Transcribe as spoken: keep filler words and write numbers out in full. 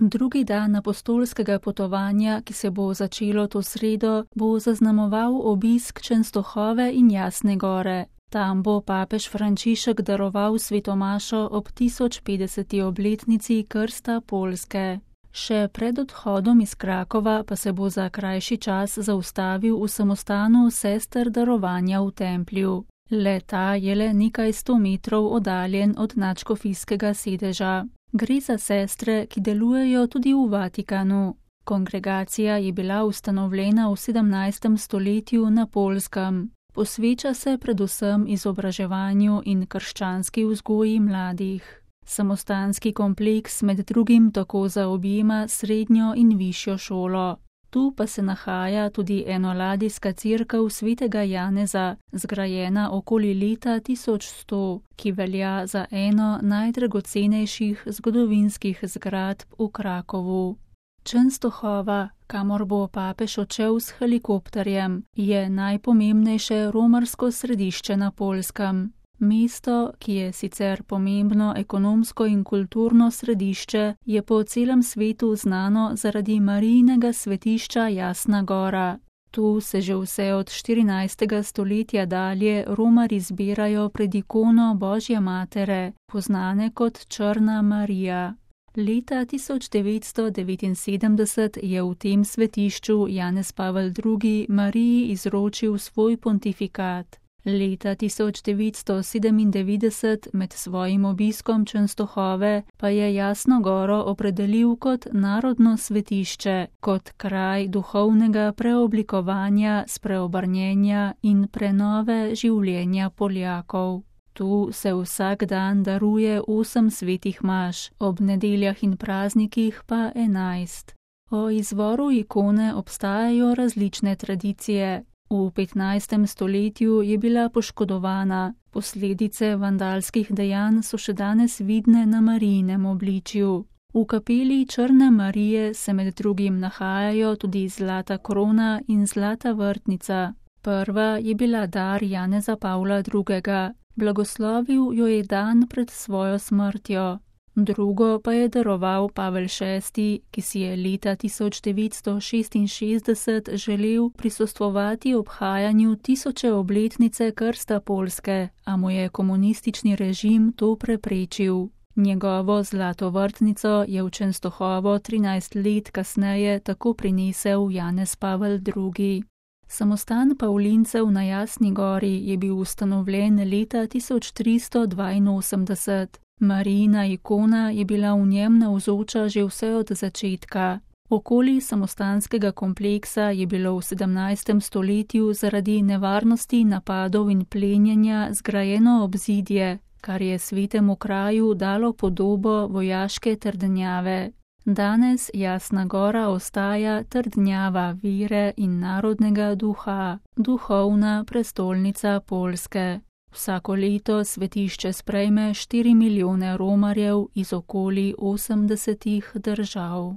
Drugi dan apostolskega potovanja, ki se bo začelo to sredo, bo zaznamoval obisk Čenstohove in Jasne gore. Tam bo papež Frančišek daroval svetomašo ob tisoč petdeseti obletnici krsta Poljske. Še pred odhodom iz Krakova pa se bo za krajši čas zaustavil v samostanu sester darovanja v templju. Le ta je le nekaj sto metrov oddaljen od nadškofijskega sedeža. Gre za sestre, ki delujejo tudi v Vatikanu. Kongregacija je bila ustanovljena v sedemnajstem stoletju na Poljskem. Posveča se predvsem izobraževanju in krščanski vzgoji mladih. Samostanski kompleks med drugim tako zaobjema srednjo in višjo šolo. Tu pa se nahaja tudi enoladijska cerkev svetega Janeza, zgrajena okoli leta tisoč sto, ki velja za eno najdragocenejših zgodovinskih zgradb v Krakovu. Čenstohova, kamor bo papež odšel s helikopterjem, je najpomembnejše romarsko središče na Poljskem. Mesto, ki je sicer pomembno ekonomsko in kulturno središče, je po celem svetu znano zaradi Marijinega svetišča Jasna gora. Tu se že vse od štirinajstega stoletja dalje romarji zbirajo pred ikono Božje matere, poznane kot Črna Marija. Leta tisoč devetsto devetinsedemdeset je v tem svetišču Janez Pavel drugi Mariji izročil svoj pontifikat. Leta tisoč devetsto sedemindevetdeset med svojim obiskom Čenstohove pa je Jasno goro opredelil kot narodno svetišče, kot kraj duhovnega preoblikovanja, spreobrnjenja in prenove življenja Poljakov. Tu se vsak dan daruje osem svetih maš, ob nedeljah in praznikih pa enajst. O izvoru ikone obstajajo različne tradicije. V petnajstem stoletju je bila poškodovana, posledice vandalskih dejanj so še danes vidne na Marijinem obličju. V kapeli Črne Marije se med drugim nahajajo tudi zlata krona in zlata vrtnica. Prva je bila dar Janeza Pavla drugega, blagoslovil jo je dan pred svojo smrtjo. Drugo pa je daroval Pavel šesti, ki si je leta tisoč devetsto šestinšestdeset želel prisostvovati obhajanju tisoče obletnice krsta Poljske, a mu je komunistični režim to preprečil. Njegovo zlato vrtnico je v Čenstohovo trinajst let kasneje tako prinesel Janez Pavel drugi. Samostan Pavlincev na Jasni gori je bil ustanovljen leta tisoč tristo dvainosemdeset. Marijina ikona je bila v njem navzoča že vse od začetka. Okoli samostanskega kompleksa je bilo v sedemnajstem stoletju zaradi nevarnosti napadov in plenjenja zgrajeno obzidje, kar je svetemu kraju dalo podobo vojaške trdnjave. Danes Jasna gora ostaja trdnjava vere in narodnega duha, duhovna prestolnica Poljske. Vsako leto svetišče sprejme štiri milijone romarjev iz okoli osemdesetih držav.